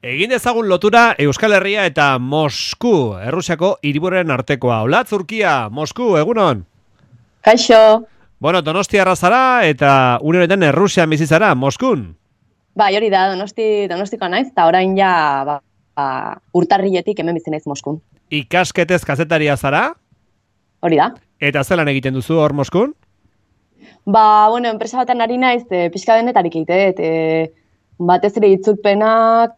Egin dezagun lotura Euskal Herria eta Mosku, Errusiako hiriburuen artekoa. Hola, Turkia, Mosku, egunon? Kaixo. Bueno, Donostiarra zara eta une honetan Errusian bizi zara, Moskun? Bai, hori da, Donostikoa naiz, eta orain ja urtarriletik hemen bizi naiz Moskun. Ikasketez kazetaria zara? Hori da. Eta zelan egiten duzu hor Moskun? Bueno, enpresa baten ari naiz, pixka denetarik egite, batez ere itzulpenak,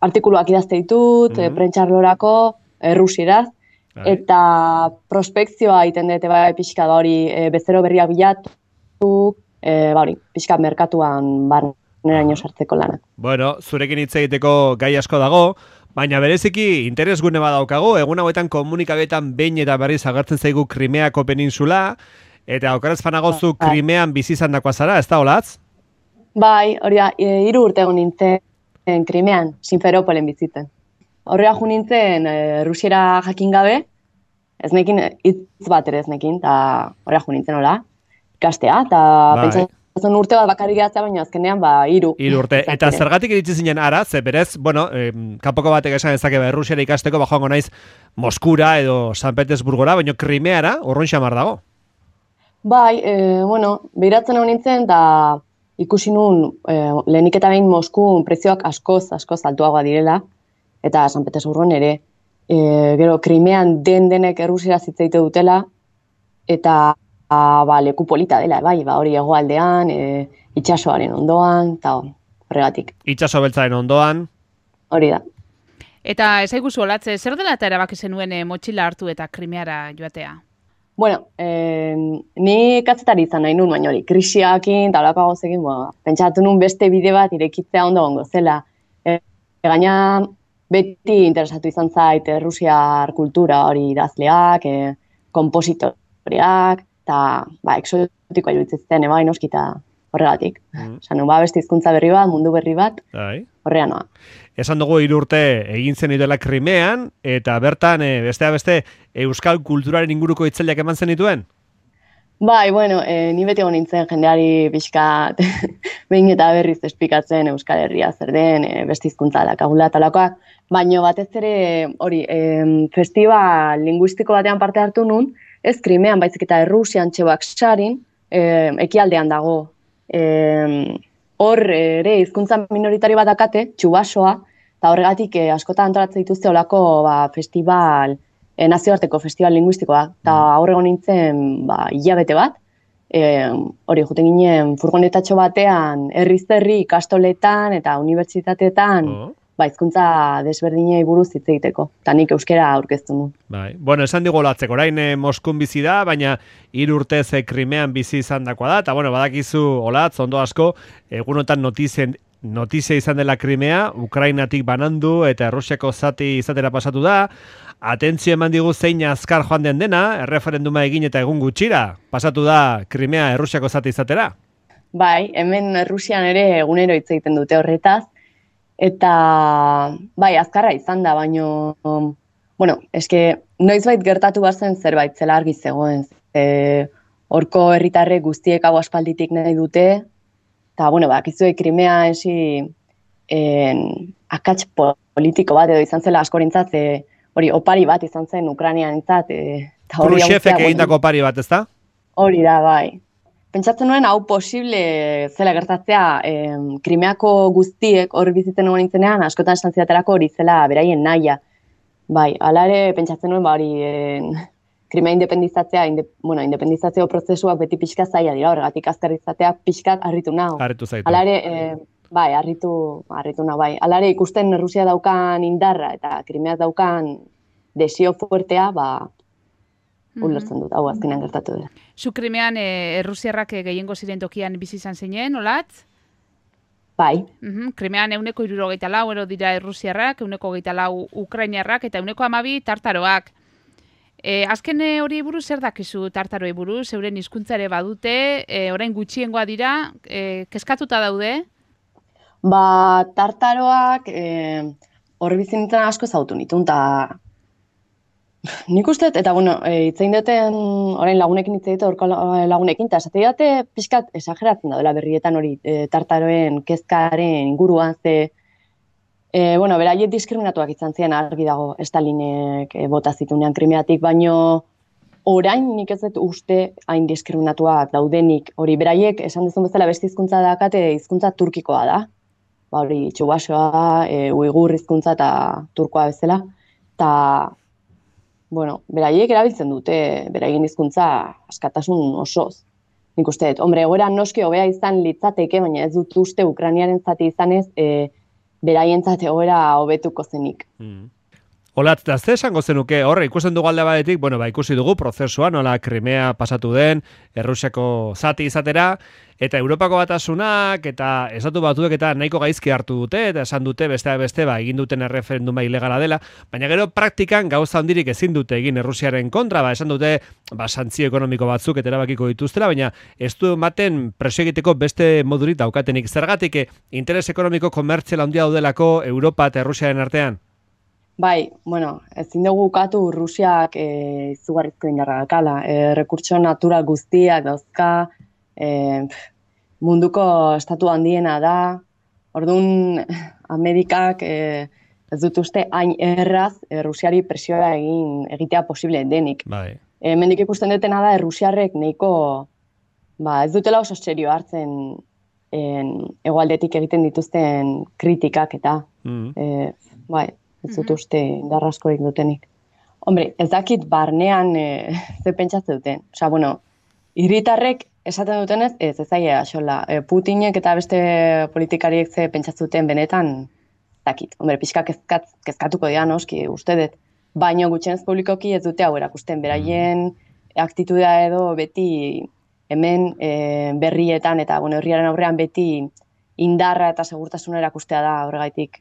artikuluak idazte ditut, prentxarlorako, errusieraz, eta prospekzioa egiten dute bai pixka da hori, bezero berriak bilatu, hori, pixka merkatuan barneraino sartzeko lanak. Bueno, zurekin hitz egiteko gai asko dago, baina bereziki interesgune badaukago, egun hauetan komunikabetan behin eta berriz agertzen zaigu Krimeako peninsula, eta okeraz fanagozu Krimean bizi izandakoa zara, ez da holatz? Bai, hori da, 3 urte egon nintzen Krimean, Simferopolen bizitzen. Horrela jo nintzen rusiera jakin gabe, ez nekin, hitz bat ere ez nekin, eta horrela jo nintzen hola, ikastea, eta pentsatzen urte bat bakarrik gehatzea, baina azkenean 3. 3 urte, eta zergatik iritsi zinen ara, ze berez, bueno, kanpoko batek esan ezake Errusiara ikasteko, joango naiz Moskura edo San Petersburgora, baina Krimeara, urrun xamar dago. Bai, behiratzen hau nintzen, eta ikusi nun, lehenik eta behin Moskun prezioak askoz altuagoa direla, eta San Petersburgon ere, gero Krimean denek Errusiera zitzaite dutela, eta leku polita dela, bai, hori hegoaldean, itsasoaren ondoan, eta horregatik. Itsaso beltzaren ondoan. Hori da. Eta ezaiguzu olatze, zer dela eta erabaki zenuen motxila hartu eta Krimeara joatea? Bueno, ni kazetari izan nahi nun, baina hori, krisiakin, eta holako gauzekin, pentsatu nun beste bide bat irekitzea ondo gongo zela. Gaina beti interesatu izan zait Rusiar kultura hori idazleak, kompositoreak, eta exotikoa iruditzen bai noski eta horregatik. Esan beste hizkuntza berri bat, mundu berri bat, horrean noa. Esan dugu 3 urte egin zen dela Krimean, eta bertan, besteak beste, euskal kulturaren inguruko hitzaldiak eman zen dituen? Bai, ni beti egon nintzen jendeari pixkat behin eta berriz esplikatzen Euskal Herria zer den, beste hizkuntza dakagula talakoak, baina batez ere hori, festival linguistiko batean parte hartu nun, ez Krimean, baizik eta Errusian Txebaksarin, ekialdean dago. Hor ere hizkuntza minoritari bat dakate, txubasoa, eta horregatik askotan antolatzen dituzte olako festival, nazioarteko festival linguistikoa, eta aurrego nintzen hilabete bat, hori juten ginen furgonetatxo batean, herriz-herri ikastoletan eta unibertsitateetan, hizkuntza desberdinei buruz hitz egiteko, eta nik euskera aurkeztu nu. Bai. Bueno, esan digu olatzeko, orain Moskun bizi da, baina 3 urtez Krimean bizi izan dakoa da, eta badakizu olatz, ondo asko, egunotan notizia izan dela Krimea, Ukrainatik banandu eta Errusiako zati izatera pasatu da, atentzio eman digu zein azkar joan den dena, erreferenduma egin eta egun gutxira, pasatu da Krimea Errusiako zati izatera? Bai, hemen Errusian ere egunero hitz egiten dute horretaz, eta azkarra izan da, baino, noizbait gertatu bazen zerbait zela argi zegoen. Horko herritarrek guztiek hau aspalditik nahi dute, eta, bakizue Krimea akats politiko bat edo izan zela askorintzat, hori opari bat izan zen Ukrainianentzat. Khrushchevek egindako opari bat, ezta? Hori da, bai. Pentsatzen nuen hau posible zela gertatzea Krimeako guztiek hor bizitzen egon nintzenean, askotan esan zidaterako hori zela beraien nahia. Bai, hala ere pentsatzen nuen Krimea independizatzea, independizazio prozesuak beti pixka zaila dira, horregatik azkar izatea pixkat harritu nago. Harritu zaitu. Hala ere, harritu nago, bai. Hala ere ikusten Rusia daukan indarra eta Krimeak daukan desio fuertea, ulertzen dut, hau azkenean gertatu dira. Zu Krimean Errusiarrak gehiengo ziren tokian bizi izan zinen, olatz? Bai. Krimean 174 dira Errusiarrak, 124 Ukrainiarrak eta 112 tartaroak. Azken hori buruz zer dakizu tartaroei buruz, euren hizkuntza ere badute, orain gutxiengoa dira, kezkatuta daude? Tartaroak hor bizi nintzen asko zautu nituen, eta nik uste, eta hitzein duten, orain lagunekin hitz egite, orko lagunekin, eta esate dute pixkat esageratzen da dela berrietan hori tartaroen kezkaren inguruan, ze Bueno, beraiek diskriminatuak izan ziren argi dago Stalinek bota zitunean Krimeatik, baino orain nik ez dut uste hain diskriminatuak daudenik. Hori, beraiek esan duzun bezala beste hizkuntza dakate hizkuntza turkikoa da. Ba, hori, txubaxoa, uigur hizkuntza eta turkoa bezala. Eta, bueno, beraiek erabiltzen dute beraien hizkuntza askatasun osoz. Nik uste dut, hombre, egoera noski hobea izan litzateke, baina ez dut uste Ukrainiaren zati izanez, beraientzat egoera hobetuko zenik. Olatz, da ze esango zenuke, horre, ikusten dugu alde batetik, bueno, ba, ikusi dugu prozesua, nola Krimea pasatu den, Errusiako zati izatera, eta Europako Batasunak, eta Estatu Batuek eta nahiko gaizki hartu dute, eta esan dute besteak beste, ba, egin duten erreferenduma ilegala dela, baina gero praktikan gauza handirik ezin dute egin Errusiaren kontra, ba, esan dute, ba, santzio ekonomiko batzuk eta erabakiko dituztela, baina ez du ematen presio egiteko beste modurik daukatenik. Zergatik, interes ekonomiko komertzial handia daudelako Europa eta Errusiaren artean? Bai, bueno, ezin dugu ukatu Rusiak izugarrizko indarra dakala. Rekurtso natural guztiak dauzka, munduko estatu handiena da. Orduan, Amerikak ez dut uste hain erraz Rusiari presioa egitea posible denik. Bai. Hemendik ikusten dutena da Rusiarrek nahiko, ba, ez dutela oso serio hartzen hegoaldetik egiten dituzten kritikak eta bai. Ez dut uste indarraskorik dutenik. Hombre, ez dakit barnean ze pentsatzen duten. Osea, bueno, hiritarrek esaten dutenez, ez zaila xola. Putinek eta beste politikariek ze pentsatzen duten benetan, ez dakit. Hombre, pixka kezkatuko dira noski, uste dut. Baina gutxienez publikoki ez dute hau erakusten. Beraien aktitudea edo beti hemen berrietan eta bueno, herriaren aurrean beti indarra eta segurtasuna erakustea da horregaitik.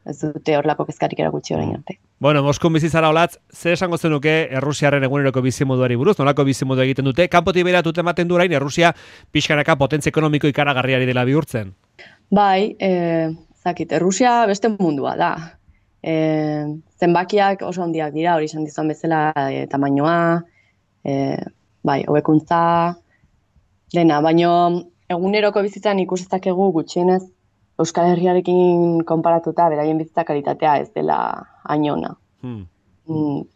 Ez dute horlako kezkarik erakutsi orain arte. Bueno, Moskun bizi zara Olatz, ze esango zenuke Errusiaren eguneroko bizimoduari buruz, nolako bizimodu egiten dute? Kanpotik beratut ematen du orain Errusia pixkanaka potentzia ekonomiko ikaragarriari dela bihurtzen. Bai, zakit, Errusia beste mundua da. Zenbakiak oso handiak dira, hori esan dizan bezala tamainoa, bai, hobekuntza, dena, baino eguneroko bizitzan ikus dezakegu gutxienez Euskal Herriarekin konparatuta beraien bizitza kalitatea ez dela hain ona.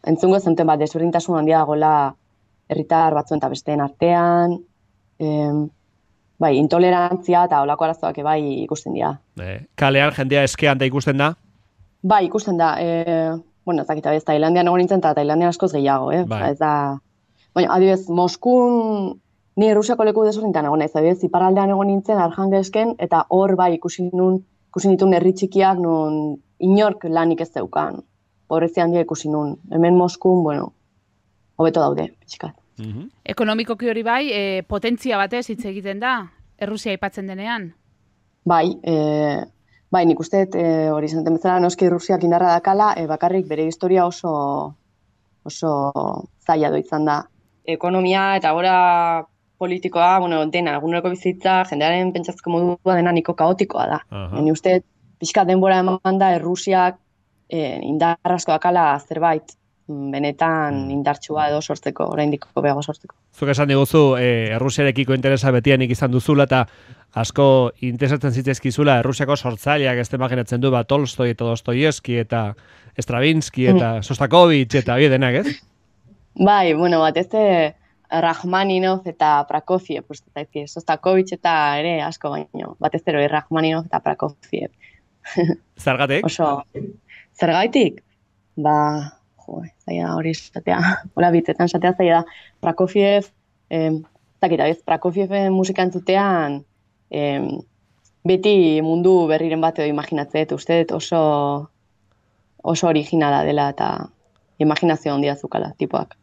Entzungo zenuten bat, desberdintasun handia dagoela herritar batzuen eta besteen artean, bai, intolerantzia eta olako arazoak bai ikusten dira. Kalean jendea eskean da ikusten da? Bai, ikusten da. Bueno, ez dakit, Tailandian egon nintzen eta Tailandian askoz gehiago, Bai. Ez da... Baina, adibidez, Moskun ni Errusiako leku desberdintan egon naiz, adibidez, iparraldean egon nintzen Arjangelsken eta hor bai ikusi ditun herri txikiak non inork lanik ez zeukan. Pobrezia handia ikusi nun. Hemen Moskun, bueno, hobeto daude, pixkat. Ekonomikoki hori bai, potentzia batez hitz egiten da, Errusia aipatzen denean. Bai, bai, nik uste hori zenten bezala noski Errusiak indarra dakala, bakarrik bere historia oso zaila izan da. Ekonomia eta gora politikoa, bueno, dena, eguneroko bizitza, jendearen pentsatzeko modua dena niko kaotikoa da. Ni uste, pixka denbora eman da, Errusiak indarrasko dakala zerbait benetan indartsua edo sortzeko, oraindik hobeago sortzeko. Zuk esan diguzu, Errusiarekiko interesa betianik izan duzula eta asko interesatzen zitzaizkizula Errusiako sortzaileak ez imaginatzen du, Tolstoi eta Dostoievski eta Stravinsky eta Sostakovich eta denak, ez? Bai, bueno, batez Rachmaninov eta Prokofiev, Sostakovich eta ere asko baino, batez Rachmaninov eta Prokofiev. Zergatik? Oso, zergaitik? Ba, zaila hori esatea, hola bitzetan esatea zaila da. Prokofiev, Prokofieven musika entzutean, beti mundu berriren bat edo imaginatzet, uste oso originala dela eta imaginazio handia zukala, tipoak.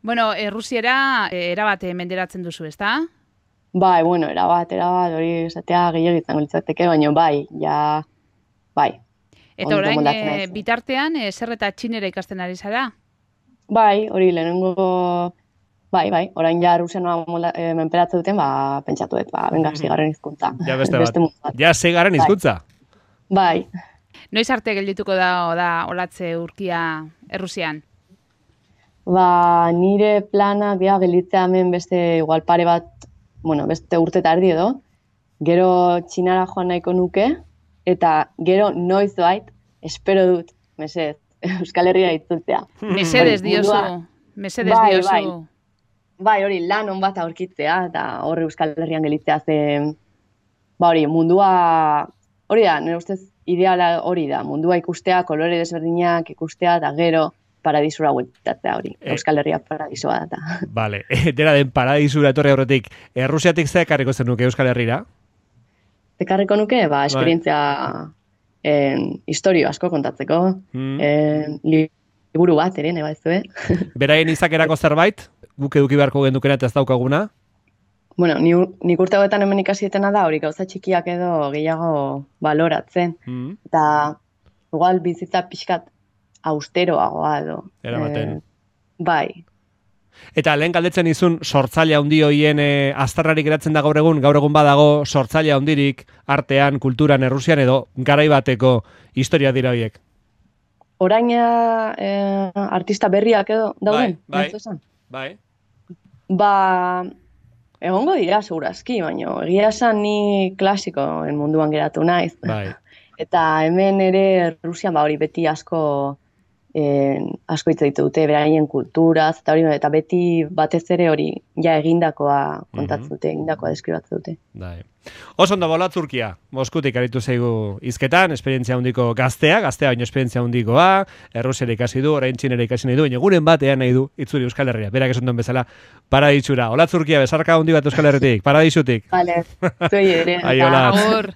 Bueno, Errusiera erabat menderatzen duzu, ezta? Bai, bueno, erabat, hori esatea gehiago izango litzateke, baina bai, ja, bai. Eta orain, bitartean, zer eta txinera ikasten ari zara? Bai, hori lehenengo, bai, orain ja Rusianoa menperatzen duten, pentsatuet, venga, zigarren hizkuntza. Ja beste bat, ja zigarren hizkuntza? Bai. Noiz arte geldituko da Olatze Urkia Errusian? Nire planak dira gelditzea hemen beste igual pare bat, bueno, beste urte eta erdi edo, gero Txinara joan nahiko nuke, eta gero noiz doait, espero dut, mesedez, Euskal Herria itzultzea. Mesedez diozu, mesedez diozu. Bai, hori, lan on bat aurkitzea, eta horre Euskal Herrian gelitzea zen, hori, mundua, hori da, nire ustez, ideala hori da, mundua ikustea, kolore desberdinak ikustea, eta gero, paradisura bueltatzea hori, Euskal Herria paradisua da. Vale, dena den paradisura etorri horretik, Errusiatik ze ekarriko zenuke Euskal Herrira? Ekarriko nuke, esperientzia historio asko kontatzeko, liburu bat ere, neba ez du, Beraien izakerako zerbait, guk eduki beharko gendukena eta ez daukaguna? Bueno, nik urte hauetan hemen ikasietena da, hori gauza txikiak edo gehiago baloratzen. Eta, igual, bizitza pixkat austeroagoa edo. Eramaten. Bai. Eta lehen galdetzen izun sortzaile handi hoien aztarrarik geratzen da gaur egun badago sortzaile handirik artean, kulturan, Errusian edo garai bateko historia dira horiek. Oraina artista berriak edo dauden? Bai. Ba, egongo dira segurazki, baina egia esan ni klasikoen munduan geratu naiz. Bai. Eta hemen ere Rusian hori beti asko hitz ditu dute, beraien kulturaz, eta beti batez ere hori ja egindakoa kontatzen dute, egindakoa deskribatzen dute. Bai. Oso ondo bola Turkia, Moskutik aritu zaigu hizketan, esperientzia handiko gaztea baino esperientzia handikoa, Errusiera ikasi du, orain Txinera ikasi nahi du, baina guren batean nahi du itzuri Euskal Herria, berak esan duen bezala, paradisura. Ola Turkia, besarka handi bat Euskal Herritik, paradisutik. Vale, zuei ere. Ai, hola.